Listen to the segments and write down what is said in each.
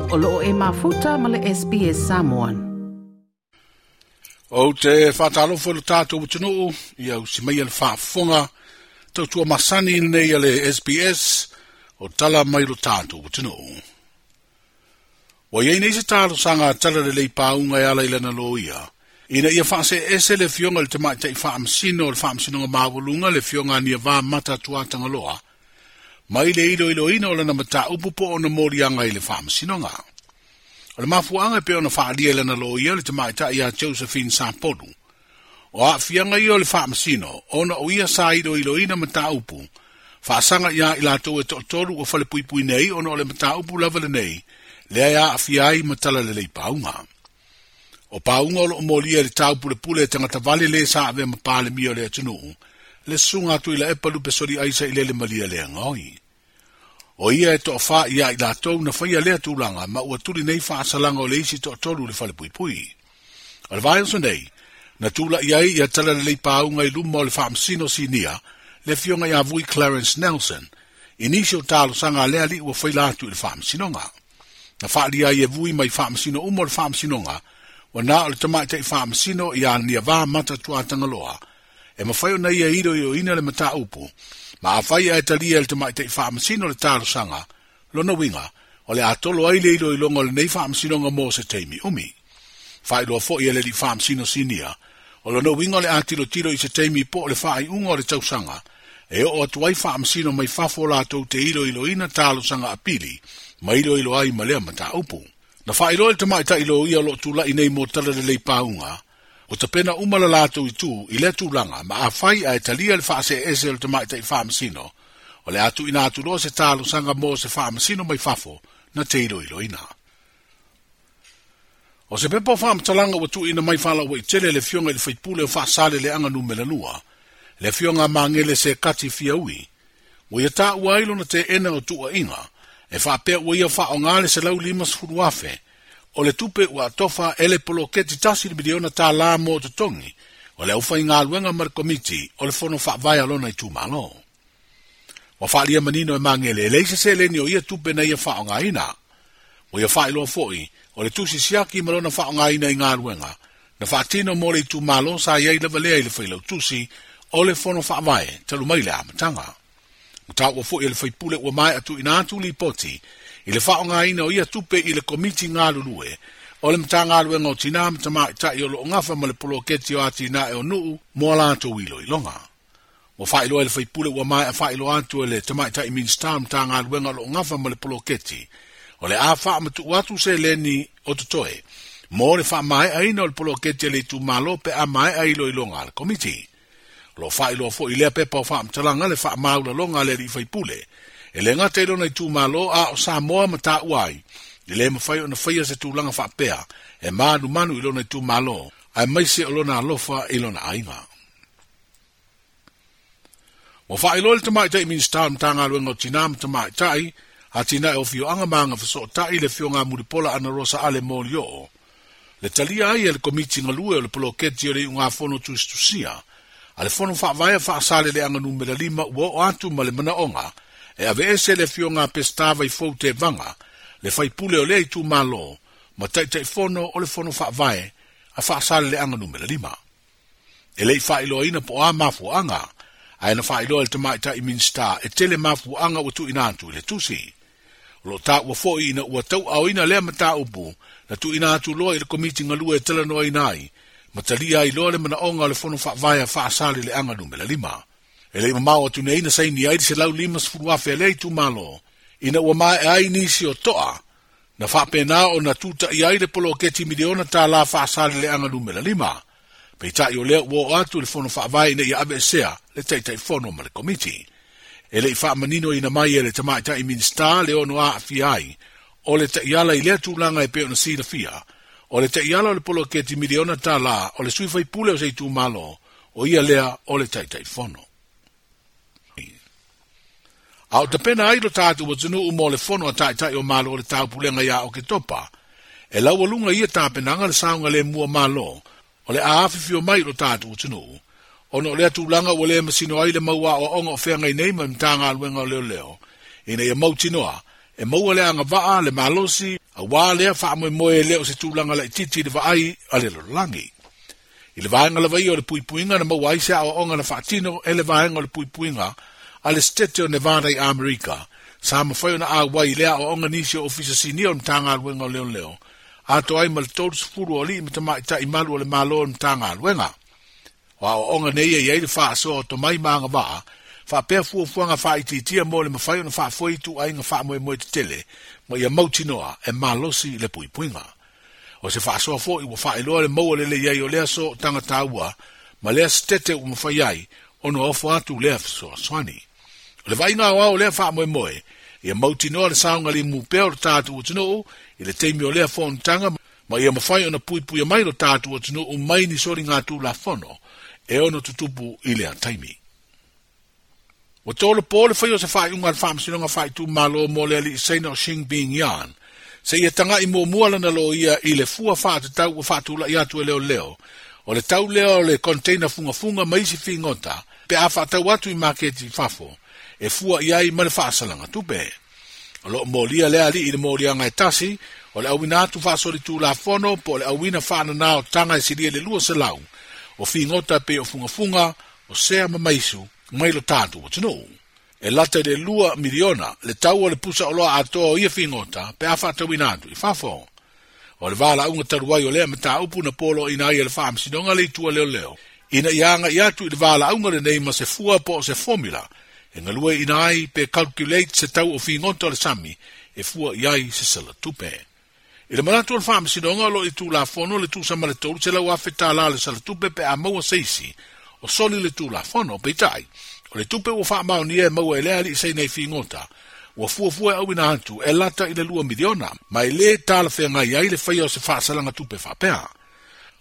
O loo e mafuta ma le SBS Samoan. Ou te whātalofa le tātou atunuu, ia usi mai le whaafonga, tautua masani nei a le SBS, o tala mai lo tātou atunuu. Ua iai nei se talosaga a Talalelei Pauga e ala i lana loia, ina ia faaseese le afioga i le tamaitai faamasino o le Faamasinoga Maualuga le afioga a Niavā Mata Tuatagaloa, mai le iloiloina o lana mataupu po o ona moliaga i le Faamasinoga. O le mafuaaga e pei ona faaalia i lana loia le tamaitai ia Josephine Sapolu. O aafiaga ia o le Faamasino, ona o ia sa iloiloina mataupu, faasaga iā i latou e toatolu ua falepuipui nei ona o le mataupu lava lenei, lea e aafia ai ma Talalelei Pauga. O Pauga o loo molia i le taupulepule e tagata vale lē sa avea ma Palemia o le atunuu, le susuga a Tuilaepa Lupesoli Aisa i lele Malielegaoi. O ia e toafā iā i latou na faia lea tulaga ma ua tuli nei faasalaga o le isi toatolu i le falepuipui. O le vaiaso nei, na tula'i ai ia Talalelei Pauga i luma o le Faamasino Sinia, le afioga ia Vui Clarence Nelson, i nisi o talosaga a lea alii ua faila atu i le Faamasinoga. Na faaalia ai e Vui mai Faamasino uma o le Faamasinoga, ua na o le tamaitai Faamasino ia Niavā Mata Tuatagaloa, e mafai ona ia iloiloina le mataupu, ma afai ae talia e le tamaitai Faamasino le talosaga, lona uiga, o le a tolo ai le iloiloga o lenei Faamasinoga mo se taimi umi. Faailoa foi e le alii Faamasino Sinia, o lona uiga o le a tilotilo i se taimi po o le faaiuga o le tausaga, e oo atu ai Faamasino mai fafo latou te iloiloina talosaga apili, ma iloilo ai ma lea mataupu. Na faailoa e le tamaitai loia o loo tula'i nei mo Talalelei Pauga, ua tapena uma le latou itu i lea tulaga ma afai ae talia le faaseese o le tamaitai Faamasino, o le a tuuina atu loa se talosaga mo se Faamasino mai fafo na te iloiloina. O se pepa o faamatalaga ua tuuina mai faalauaitele e le afioga i le faipule o Faasaleleaga Numera 2, le afioga a Magele Sekati Fiaui, ua ia taua ai lona teena o tuuaiga e faapea ua ia faaaoga le $150,000 o le tupe ua atofa e le poloketi $1 miliona mo totogi o le aufaigaluega ma le komiti o le fono faavae a lona itumalo. Ua faaalia manino e Magele e leai se seleni o ia tupe na ia faaaogaina. Ua ia faailoa foi o le tusi siaki ma lona faaaogaina i galuega na faatino mo le itumalo sa i ai lava lea i le failautusi o le fono faavae talu mai le amataga. Ua taua foi e le faipule ua maea tuuina atu lipoti i le faaaogaina o ia tupe i le komiti galulue o le Matagaluega o Tinā ma Tamaitai o loo gafa ma le poloketi o atinae o nuu mo a latou iloiloga. Ua faailoa e le faipule ua maea faailoa atu e le tamaitai Minisita o le Matagaluega o loo gafa ma le poloketi o le a faamatuu atu seleni o totoe mo le faamaeaina o le poloketi a le itumalo pe a maea iloiloga a le komiti. O lo o faailoa foi i lea pepa o faamatalaga le faamaualaloga a le alii faipule, e le gata i lona itumalo a o Samoa ma taua ai, e le mafai ona faia se tulaga faapea e manumanu i lona itumalo, aemaise o lona alofa i lona aiga. Ua faailoa e le Tamaitai Minisita o le Matagaluega o Tinā ma Tamaitai, Atinae o Afioaga ma Agafesootai le Afioga a Mulipola Anarosa Ale Molioo, le talia ai e le Komiti Galue o le Poloketi o le Iugafono Tusitusia a le Fono Faavae a Faasaleleaga Numera 5 ua oo atu ma le manaoga e aveese le afioga a Peseta Vaifou Tevaga, le faipule o lea itumalo ma Taitaifono o le Fono Faavae a Faasaleleaga Numera 5. E le i faailoaina po o a mafuaaga, ae na faailoa e le Tamaitai Minisita e tele mafuaaga ua tuuina atu i le tusi. O lo o taua foi ina ua tauaaoina lea mataupu na tuuina atu loa i le Komiti Galue e talanoaina ai ma talia ai loa le manaoga o le Fono Faavae a Faasaleleaga Numera 5. E le i mamao atu nei na saini ai le $150,000 a lea itumalo ina ua maea ai nisi o toa na faapena ona tutaia ai le poloketi $1 miliona Faasaleleaga Numera 5. Peitai o lea ua oo atu i le Fono Faavae ina ia aveesea le Taitaifono ma le Komiti. E le i faamaninoina mai e le Tamaitai Minisita le ono aafia ai o le taiala i lea tulaga e pei ona silafia, o le taiala o le poloketi $1 miliona o le sui faipule o se itumalo, o ia lea o le Taitaifono. A o tapena ai lo tatou atunuu mo le fono a Taitai o Malo o le Taupulega ia Oketopa, e laualuga i ia tapenaga le saogalemu o Malo o le a afifio mai i lo tatou atunuu, ona o lea tulaga ua le masino ai le mau aoaoga o feagai nei ma le Matagaluega o Leoleo, ina ia mautinoa e maua le agavaa, le malosi, Auā lea faamoemoe e le o se tulaga laitiiti i le vaai a le lalolagi. I le vaega lava ia o le puipuiga na maua ai se aoaoga na faatino e le vaega o le puipuiga a le Setete o Nevada i Amerika, sa mafai ona auai i lea aoaoga nisi o Ofisa Sinia o le Matagaluega o Leoleo, atoa ai ma le 30 o alii ma tamaitai malu o le Malo o le Matagaluega. O aoaoga nei e i ai le faasoa o tomai ma agavaa, faapea fuafuaga faaitiitia mo le mafai ona faafoe ituaiga faamoemoe tetele ma ia mautinoa e malosi le puipuiga. O se faasoa foi ua faailoa le maua lelei ai o lea sootaga taua ma lea setete ua mafai ai ona ofo atu lea fesoasoani. O le vaaiga aoao o lea faamoemoe, ia mautinoa le saogalemu pea o le tatou atunuu i le taimi o lea fonotaga ma ia mafai ona puipuia mai lo tatou atunuu mai ni soligatulafono e ono tutupu i lea taimi. Ua tolopo le faia o se faaiuga a le Faamasinoga Faaitumalo mo le alii Saina o Xing Bing Yan, seia taga'i muamua lana loia i le fua faatatau ua faatula'i atu e leoleo, o le tau lea o le container fugafuga ma isi figota pe a faatau atu i maketi i fafo, e fua i ai ma le faasalaga tupe. O lo o molia lea alii i le moliaga e tasi, o le auina atu faasolitulafono po o le auina faanana o taga e silia i le 200 o figota e pei o fugafuga, o sea ma maisu, mai lo tatou atunuu. E lata i le $2 miliona le tau o le pusa oloa atoa o ia figota pe a faatauina atu i fafo. O le valaauga talu ai o lea mataupu na poloaiina ai e le Faamasinoga le Itu a Leoleo ina ia agai atu i le valaauga lenei ma se fua po o se formula e galueaiina ai pe calculate se tau o figota o le sami e fua i ai se sala tupe. I le manatu o le Faamasinoga o lo o i Tulafono le tusa ma le $300,000 le sala tupe pe a maua se isi o soli le Tulafono, peitai, o le tupe ua faamaonia e maua e lea alii Saina i figota, ua fuafua e auina atu e lata i le $2 miliona, ma e lē talafeagai ai le faia o se faasalaga tupe faapea.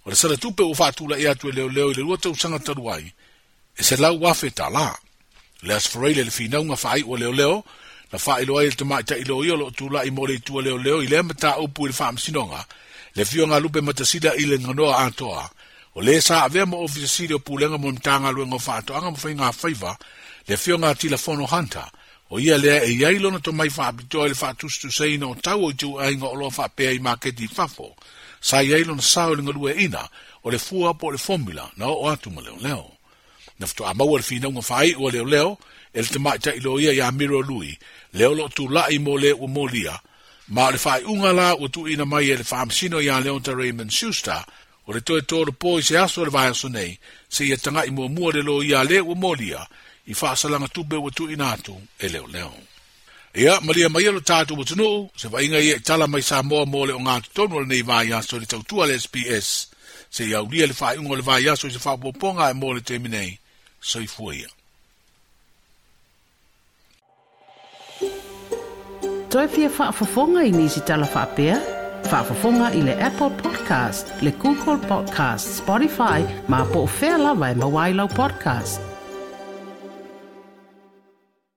O le sala tupe ua faatula'i atu e leoleo i le 2 tausaga talu ai, e $100,000. O le Aso Faraile le finauga faaiu a leoleo, na faailoa ai e le tamaitai loia o lo o tula'i mo le itu a leoleo i lea mataupu i le Faamasinoga, le Afioga a Lupe Matasila i le ganoa atoa, o le sa avea ma Ofisa Sili o Pulega mo le Matagaluega o Faatoaga ma Faiga Faiva, le Afioga a Tilafono Hunter, o ia lea e i ai lona tomai faapitoa i le faatusatusaina o tau o ituaiga oloa faapea i maketi i fafo, sa i ai lona sao i le galueaiina o le fua po o le formula na oo atu ma leoleo. Na faatoa maua le finauga faaiu a leoleo e le tamaitai loia ia Miro Lui, lea o lo o tula'i mo le ua molia, ma o le faaiuga la ua tuuina mai e le Faamasino ia Leonta Raymond Schuster, o le toe tolopo i se aso o le vaiaso nei, seia taga'i muamua le loia a le ua molia i faasalaga tupe ua tuuina atu e leoleo. Ia, malia maia lo tatou atunuu, se vaaiga ia i tala mai Samoa mo le ogatotonu o lenei vaiaso i le tautua a le SBS, seia aulia le faaiuga o le vaiaso i se faaopoopoga ae mo le taimi nei, soifua ia. Toe fia faafofoga i nisi tala faapea? Faafofoga i le Apple Podcast, le Google Podcast, Spotify, ma po o fea lava e maua ai lau podcast.